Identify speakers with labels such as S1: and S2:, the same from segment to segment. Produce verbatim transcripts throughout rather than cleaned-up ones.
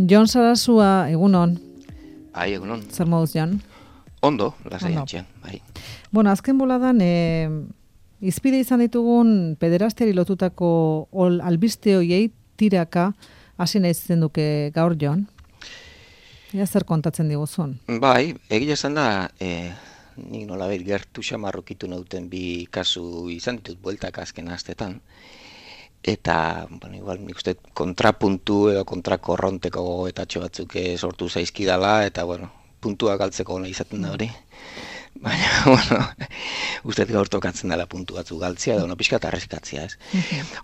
S1: Jon Sarasua, egunon.
S2: Bai, egunon.
S1: Zer moduz, Jon?
S2: Ondo, lasai antxean, bai.
S1: Bueno, azken boladan, e, izpide izan ditugun pederastiari lotutako ol, albiste hoiei tiraka hasi nahi duke gaur, Jon. Ea zer kontatzen diguzun?
S2: Bai, egia esan da, e, nik nolabait gertu xamarrokitu nauten bi kasu izan ditut bueltak azken astetan. Eta, bueno, igual nik uste kontrapuntu edo kontrakorronteko gogoetatxo batzuk sortu zaizkidala, eta, bueno, puntua galtzeko nahi izaten da hori. Baina, bueno, uste gaur tokatzen dela puntu batzuk galtzea, edo no pixka eta arrezkatzea, ez.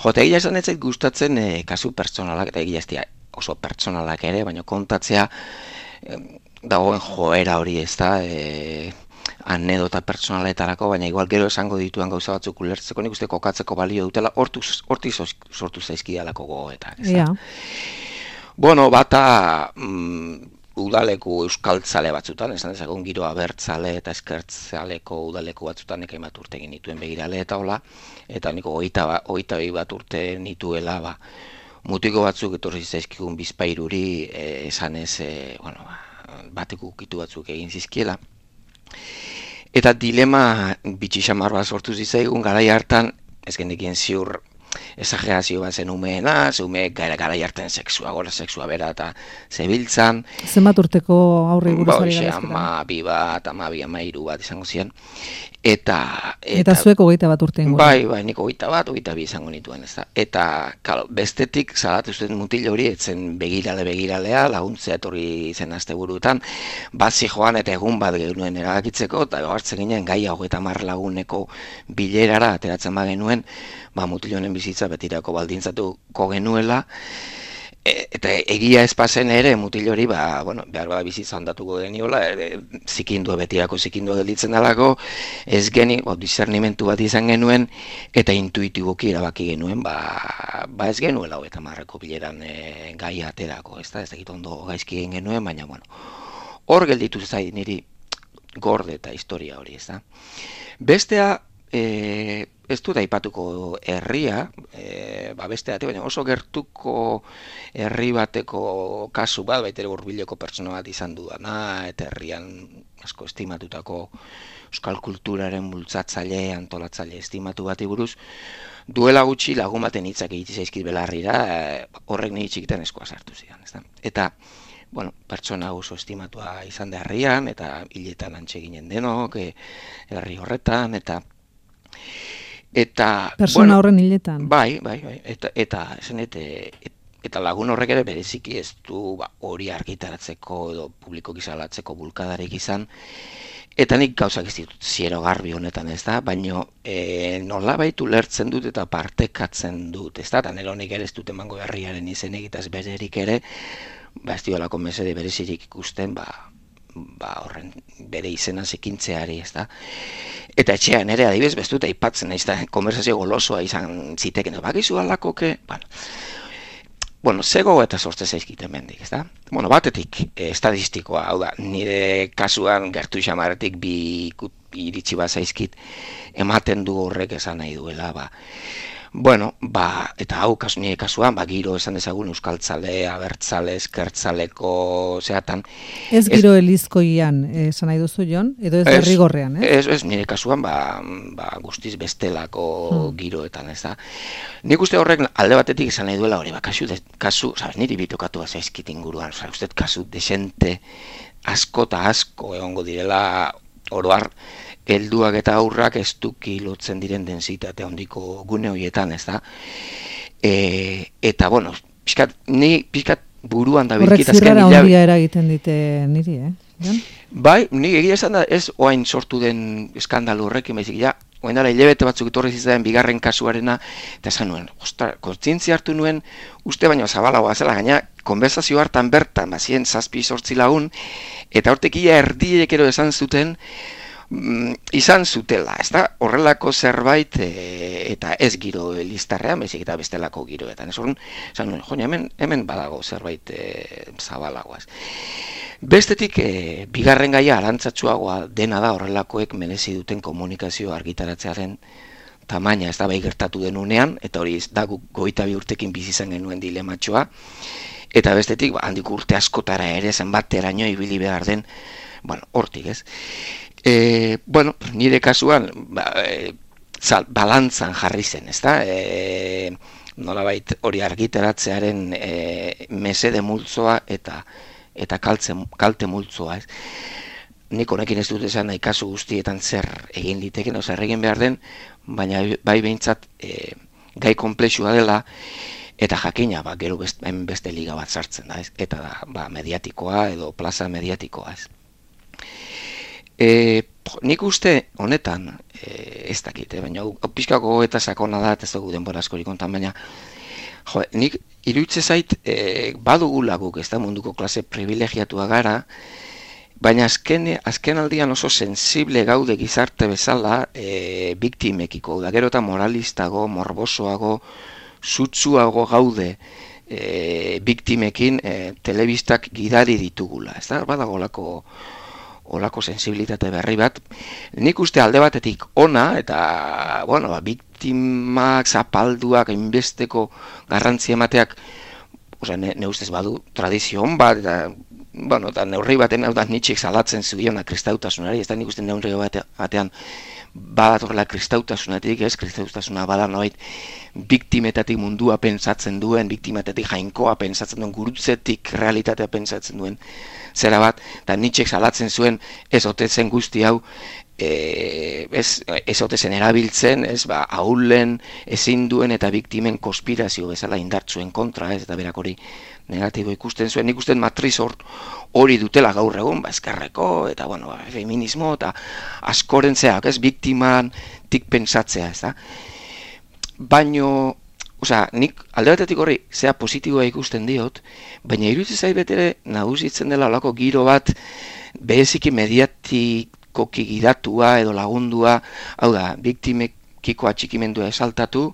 S2: Jo, eta egia esan ez zait gustatzen e, kasu pertsonalak, eta egia ez oso pertsonalak ere, baina kontatzea e, dagoen joera hori ez da, e, anedota pertsonaletarako, baina igual gero esango dituen gauza batzuk ulertzeko, nik uste kokatzeko balio dutela, hortik sortu zaizkidalako gogoetak.
S1: Ja.
S2: Bueno, bata mm, udaleku euskaltzale batzutan, esan dezagun giro abertzale eta eskertzaleko udaleku batzutan eka bat urte egin dituen begirale eta hola, eta niko oita, oita bi bat urte nituela, ba, mutiko batzuk etorri zaizkigun bizpairuri e, esan ez, e, bueno, bateko ukitu batzuk egin zizkiela. Eta dilema bitxixamar bat sortu zizaigun, garai hartan, ez genekien ziur esagerazio bat zen umeena, ze ume gara, gara hartan sexua, gora sexua bera eta zebiltzan.
S1: Zenbat urteko aurre buruzari
S2: gara ezketan? Ama bi bat, ama bi, ama iru bat izango ziren. Eta,
S1: eta, eta zuek hogeita bat urte ingo.
S2: Bai, bai, nik hogeita bat, hogeita bi izango nituen, ez da. Eta, kalo, bestetik, salatu zuten mutil hori, etzen begirale begiralea, laguntzea etorri zen asteburutan, bazi joan eta egun bat genuen erabakitzeko, eta hartzen ginen gai hogeita hamar laguneko bilerara ateratzen ba genuen, ba, mutil honen bizitza betirako baldintzatuko genuela, eta egia espazen ere mutil hori, ba, bueno, behar bada bizitza ondatuko geniola, e, zikindua betirako zikindua gelditzen dalako, ez geni, o, discernimentu bat izan genuen, eta intuitiboki erabaki genuen, ba, ba ez genuela hogeita hamarreko bileran e, gai aterako, ez da, ez dakit ondo gaizki egin genuen, baina, bueno, hor gelditu zai niri gorde eta historia hori, ez da. Bestea, e, ez dut aipatuko herria, e, ba beste ate, baina oso gertuko herri bateko kasu bat, baitere hurbileko pertsona bat izan dudana, eta herrian asko estimatutako euskal kulturaren bultzatzaile, antolatzaile estimatu bati buruz, duela gutxi lagun baten hitzak egitzi zaizkit belarrira, e, horrek niri txikitan eskoa sartu zidan, ezta? Eta, bueno, pertsona oso estimatua izan da herrian, eta hiletan antxe ginen denok, e, herri horretan, eta Eta,
S1: persona bueno, horren hiletan.
S2: Bai, bai, bai. Eta, eta, esan, eta, eta lagun horrek ere bereziki ez du ba, hori argitaratzeko edo publiko gizalatzeko bulkadarik izan. Eta nik gauzak ez ditut ziero garbi honetan, ez da, baina e, nola baitu lertzen dut eta partekatzen dut, ez da, eta nire honik ere ez dut emango herriaren izenek eta ez bererik ere, ba ez diolako mesede berezirik ikusten, ba, ba horren bere izena zekintzeari, ez da. Eta etxean ere adibidez bestuta aipatzen, ez da, konversazio golosoa izan ziteken, bakizu alakoke, bueno, bueno, zego eta sortze zaizkiten mendik, ez da. Bueno, batetik, eh, estadistikoa, hau da, nire kasuan gertu xamaretik bi iritsi bat zaizkit ematen du horrek esan nahi duela, ba, bueno, ba, eta hau kasu, nire kasuan, ba, giro esan dezagun euskaltzale, abertzale, eskertzaleko, zeatan.
S1: Ez giro ez, elizkoian, esan nahi duzu, Jon, edo ez derrigorrean, eh?
S2: Ez, ez, nire kasuan, ba, ba guztiz bestelako hmm. giroetan, ez da. Nik uste horrek alde batetik esan nahi duela hori, ba, kasu, de, kasu, sabes, niri bitokatu zaizkit inguruan, oza, uste, kasu desente asko eta asko egongo direla oroar, helduak eta aurrak ez duki lotzen diren densitate handiko gune horietan, ez da. E, eta, bueno, pixkat, ni pixkat buruan da bilkit azken
S1: hilabete. Horrek zirrara ondia eragiten dite niri, eh? Jon?
S2: Bai, ni egia esan da, ez oain sortu den eskandalu horrekin, baizik, ja, oain dara hilabete batzuk etorri zizaten bigarren kasuarena, eta esan nuen, ostra, kontzientzia hartu nuen, uste baino zabalagoa zela, gaina, konversazio hartan bertan, bazien zazpi sortzi lagun, eta hortek ia erdiek ero esan zuten, Mm, izan zutela, ez da, horrelako zerbait e, eta ez giro listarrean, bezik eta bestelako giroetan. Ez horren, esan nuen, joan, hemen, hemen badago zerbait e, zabalagoaz. Bestetik, e, bigarren gaia arantzatsuagoa dena da horrelakoek merezi duten komunikazio argitaratzearen tamaina, ez da bai gertatu denunean, eta hori da goita bi urtekin bizi izan genuen dilematxoa, eta bestetik, ba, handik urte askotara ere zenbateraino ibili behar den, bueno, hortik, ez? E, bueno, nire kasuan, ba, e, zal, balantzan jarri zen, ez da? E, nolabait hori argitaratzearen e, mesede multzoa eta eta kaltze, kalte multzoa, ez? Nik honekin ez dut esan nahi kasu guztietan zer egin liteken, oza, egin behar den, baina bai behintzat e, gai komplexua dela, eta jakina, ba, gero best, beste liga bat sartzen da, ez? Eta da, ba, mediatikoa edo plaza mediatikoa, ez? E, nik uste honetan, e, ez dakit, eh, baina pixkako eta sakona da, ez dugu denbora askorik kontan, baina jo, nik iruitze zait e, badugula guk, ez da munduko klase privilegiatua gara, baina azken, azken aldian oso sensible gaude gizarte bezala e, biktimekiko, da gero eta moralistago, morbosoago, sutsuago gaude e, biktimekin e, telebistak gidari ditugula, ez da, badagolako olako sensibilitate berri bat, nik uste alde batetik ona, eta, bueno, ba, biktimak, zapalduak, inbesteko garrantzi emateak, osea, ne, ne ustez badu tradizio hon bat, eta, bueno, eta neurri baten, hau da, nitxik salatzen zubiona kristautasunari, ez da nik uste neurri batean badatorla kristautasunatik, ez, kristautasuna bada noait biktimetatik mundua pentsatzen duen, biktimetatik jainkoa pentsatzen duen, gurutzetik realitatea pentsatzen duen, zera bat, eta nitxek salatzen zuen ez otezen guzti hau, e, ez, ez otezen erabiltzen, ez, ba, ahulen, ezin duen eta biktimen konspirazio bezala indartzuen kontra, ez, eta berak hori negatibo ikusten zuen, nik usten matriz hori dutela gaur egun, ba, eskerreko, eta, bueno, ba, feminismo, eta askoren zeak, ez, biktiman tik pentsatzea, ez da. Baino, osea, nik alde batetik horri zea positiboa ikusten diot, baina iruditzen zait betere nagusitzen dela olako giro bat bereziki mediatikoki gidatua edo lagundua, hau da, biktimekiko atxikimendua esaltatu,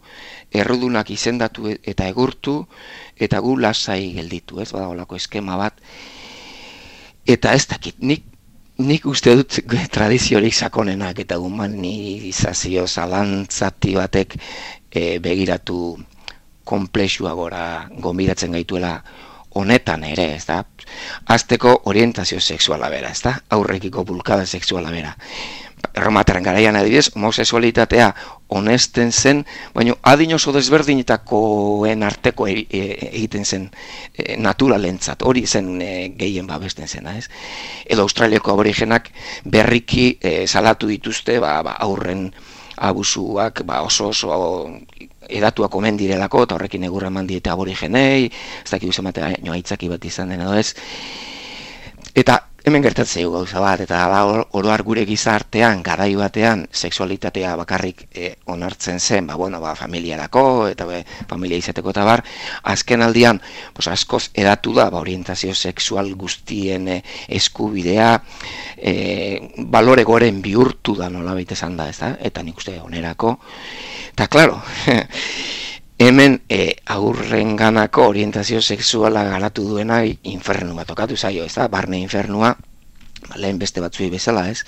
S2: errudunak izendatu eta egurtu, eta gu lasai gelditu, ez, bada olako eskema bat. Eta ez dakit, nik Nik uste dut tradiziorik sakonenak eta humanizazio zalantzati batek e, begiratu komplexua gora gonbidatzen gaituela honetan ere, ez da? Azteko orientazio sexuala bera, ez da? Aurrekiko bulkada sexuala bera. Erromatarren garaian adibidez, homosexualitatea honesten zen, baina adin oso desberdinetakoen arteko e, e, egiten zen e, naturalentzat, hori zen e, gehien babesten zena, ez? Edo Australiako aborigenak berriki e, salatu dituzte, ba, ba, aurren abusuak ba, oso oso edatuak omen direlako, eta horrekin egurra eman diete aborigenei, ez dakit uzen batea aitzaki bat izan den edo ez. Eta hemen gertatzeu gauza bat, eta oroar gure gizartean, garai batean, sexualitatea bakarrik e, onartzen zen, ba, bueno, ba, familiarako, eta be, familia izateko eta bar, azken aldian, pues, askoz edatu da, ba, orientazio sexual guztien e, eskubidea, e, balore goren bihurtu da nola baita esan da, ez da? Eta nik uste onerako, eta klaro, hemen e, aurrenganako orientazio sexuala garatu duena infernu bat tokatu zaio, ez da? Barne infernua, lehen beste batzui bezala, ez?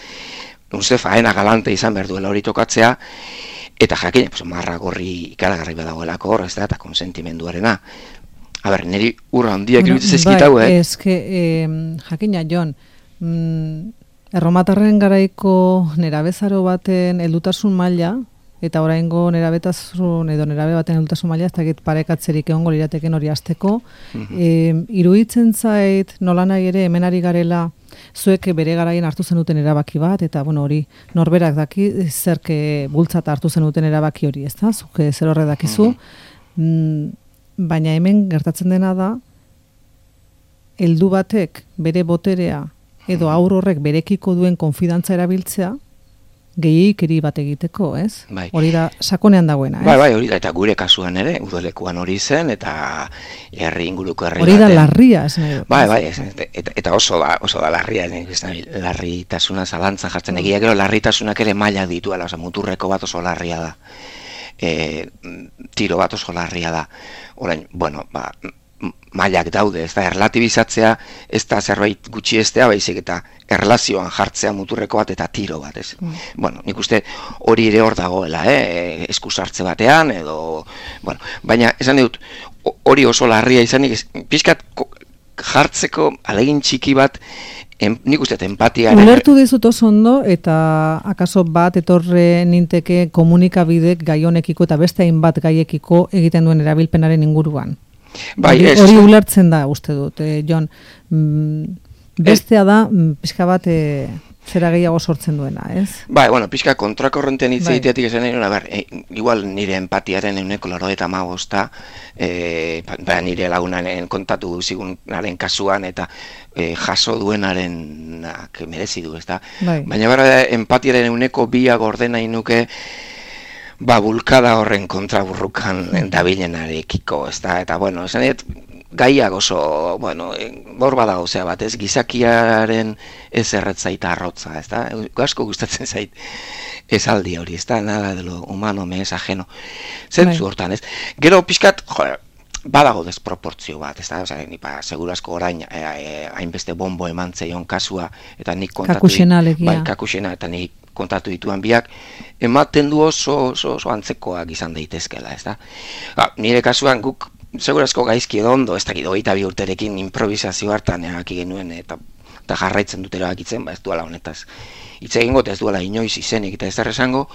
S2: Uste faena galante izan behar duela hori tokatzea, eta jakin, pues, marra gorri ikaragarri badagoelako hor, ez da? Eta konsentimenduarena. A ber, niri urra handiak bueno, iruditzen ezkitau, eh?
S1: Ez que, eh, jakina, Jon, mm, erromatarren garaiko nerabezaro baten heldutasun maila, eta oraingo nerabetasun edo nerabe baten heldutasun maila ez dakit parekatzerik egongo lirateken hori hasteko. Mm-hmm. E, iruditzen zait nolanahi ere hemen ari garela zuek bere garaien hartu zenuten erabaki bat, eta bueno, hori norberak daki zerke bultzat hartu zenuten erabaki hori, ezta? Zuk zer horre dakizu. Mm-hmm. Baina hemen gertatzen dena da heldu batek bere boterea edo aur horrek berekiko duen konfidantza erabiltzea gehiikeri bat egiteko, ez?
S2: Bai.
S1: Hori da sakonean dagoena, ez?
S2: Bai, bai, hori da, eta gure kasuan ere, udalekuan hori zen, eta herri inguruko herri
S1: hori da larria, ez nahi.
S2: Bai, bai, ez, eta, eta oso da, oso da larria, ez nahi, larritasuna zalantzan jartzen, egia gero larritasunak ere maila dituela, oza, muturreko bat oso larria da, e, tiro bat oso larria da. Orain, bueno, ba, mailak daude, ez da, erlatibizatzea, ez da zerbait gutxiestea, baizik eta erlazioan jartzea muturreko bat eta tiro bat, ez? Mm. Bueno, nik uste hori ere hor dagoela, eh? Eskusartze batean, edo, bueno, baina, esan dut, hori oso larria izanik, pixkat jartzeko alegin txiki bat, em, nik uste empatiaren...
S1: Ulertu dizut oso ondo, eta akaso bat etorre ninteke komunikabidek gai honekiko eta beste hainbat gaiekiko egiten duen erabilpenaren inguruan.
S2: Bai,
S1: hori,
S2: ez,
S1: hori ulertzen da, uste dut, eh, Jon. Mm, bestea da, mm, pixka bat e, zera gehiago sortzen duena, ez?
S2: Bai, bueno, pixka kontrakorrentean hitz egiteatik esan nahi, ber, e, igual nire empatiaren euneko laurogeita hamabosta, e, ba, nire lagunaren kontatu zigunaren kasuan, eta e, jaso duenaren merezi du, ez da? Bai. Baina bera, empatiaren euneko biak ordena inuke, ba, bulkada horren kontraburrukan dabilenarekiko, ez da, eta, bueno, esan dut, gaiak oso, bueno, bor badago zea bat, ez, gizakiaren ez erretzaita arrotza, ez da, asko gustatzen zait esaldi hori, ez da, nada de lo humano me es ajeno, zentzu hortan, ez, gero pixkat, joder, badago desproportzio bat, ez da, oza, nipa, segurazko orain, hainbeste e, bombo eman zeion kasua, eta nik kontatu...
S1: Kakusena legia.
S2: Bai, kakusena, eta nik kontatu dituan biak, ematen du oso, oso, oso antzekoak izan daitezkela, ez da. Ba, nire kasuan guk, segurazko gaizki edo ondo, ez dakit, hogeita bi urterekin improvisazio hartan erabaki genuen, eta, eta jarraitzen dut erabakitzen, ba ez duela honetaz. Hitz egingo, ez duela inoiz izenik eta ez esango,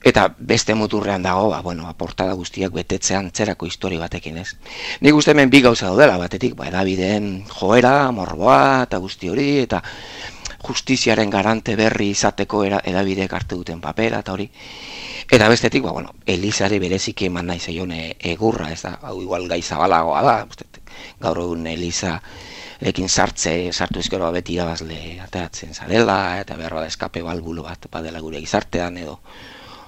S2: eta beste muturrean dago, ba, bueno, portada guztiak betetzean zerako histori batekin, ez. Nik uste hemen bi gauza daudela batetik, ba, edabideen joera, morboa, eta guzti hori, eta justiziaren garante berri izateko edabideek hartu duten papera, eta hori. Eta bestetik, ba, bueno, Elizari bereziki eman nahi zeion egurra, ez da, hau igual gai zabalagoa da, gaur egun Eliza ekin sartze, sartu ezkero beti irabazle ateratzen zarela, eta behar bada eskape balbulo bat badela gure gizartean, edo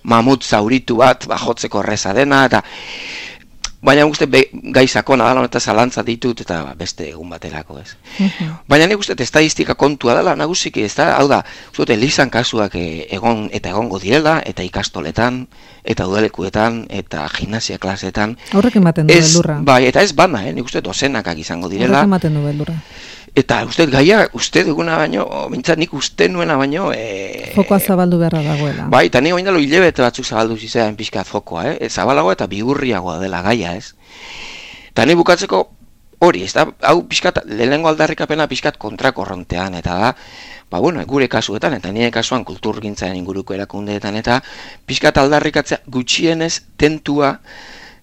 S2: mamut zauritu bat, ba, jotzeko erreza dena, eta baina uste gai sakona dela, eta zalantza ditut, eta beste egun baterako, ez. Uh-huh. Baina nik uste estadistika kontua dela, nagusiki, ez da, hau da, uste Elizan kasuak egon eta egongo direla, eta ikastoletan, eta udalekuetan, eta gimnasia klasetan.
S1: Horrek ematen du beldurra.
S2: Bai, eta ez bana, eh? Nik uste dozenakak izango direla.
S1: Horrek ematen du beldurra.
S2: Eta uste gaia, uste duguna baino, bintzat nik uste nuena baino... E,
S1: fokoa zabaldu beharra dagoela.
S2: Bai, eta nik oindalo hilebete batzuk zabaldu zizean pixkat fokoa, eh? Zabalagoa eta bigurriagoa dela gaia, ez? Eta nik bukatzeko hori, ez da, hau pixkat, lehenengo aldarrikapena pixkat kontrakorrontean, eta da, ba, bueno, gure kasuetan, eta nire kasuan kulturgintzaren inguruko erakundeetan, eta pixkat aldarrikatzea gutxienez tentua,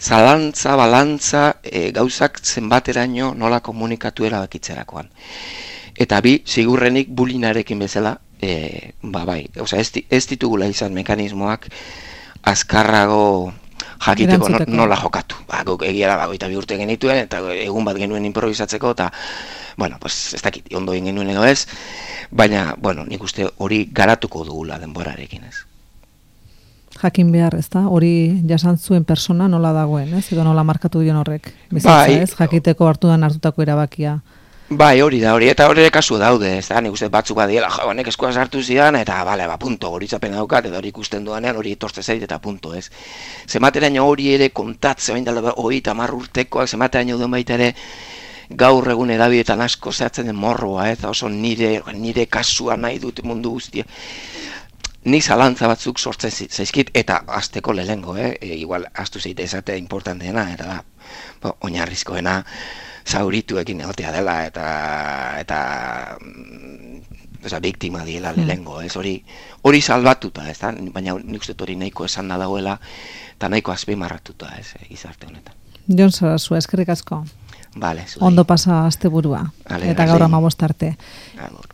S2: zalantza, balantza, e, gauzak zenbateraino nola komunikatu erabakitzerakoan. Eta bi, sigurrenik bulinarekin bezala, e, ba bai, oza, ez, ez ditugula izan mekanismoak azkarrago jakiteko no, nola jokatu. Ba, guk egiara bagoita bi urte genituen, eta egun bat genuen improvisatzeko, eta, bueno, pues, ez dakit, ondo egin genuen edo ez, baina, bueno, nik uste hori garatuko dugula denborarekin, ez.
S1: Jakin behar, ez da? Hori jasan zuen persona nola dagoen, ez? Edo nola markatu dion horrek, bizitza, bai, ez? Jakiteko hartudan hartutako erabakia.
S2: Bai, hori da, hori, eta hori kasu daude, ez da? Nik uste batzuk badiela, jo, honek eskua sartu zidan, eta, bale, ba, punto, hori zapen daukat, edo hori ikusten duanean, hori etortze zait, eta punto, ez? Zemateraino hori ere kontatze, bain dala, hori eta mar urtekoak, zemateraino duen baita ere, gaur egun edabietan asko zehatzen den morroa, ez? Oso nire, nire kasua nahi dut mundu guztia. Ni zalantza batzuk sortzen zaizkit, eta azteko lehengo, eh? E, igual, aztu zeite esatea importanteena, eta da, bo, oinarrizkoena zaurituekin egotea dela, eta, eta, oza, biktima diela lehengo, ez hori, hori salbatuta, ez da? Baina nik uste hori nahiko esan da dagoela, eta nahiko azpimarratuta, ez, gizarte honetan.
S1: Jon Sarasua, eskerrik asko.
S2: Vale,
S1: ondo pasa asteburua, eta gaur amabost arte.
S2: Agur.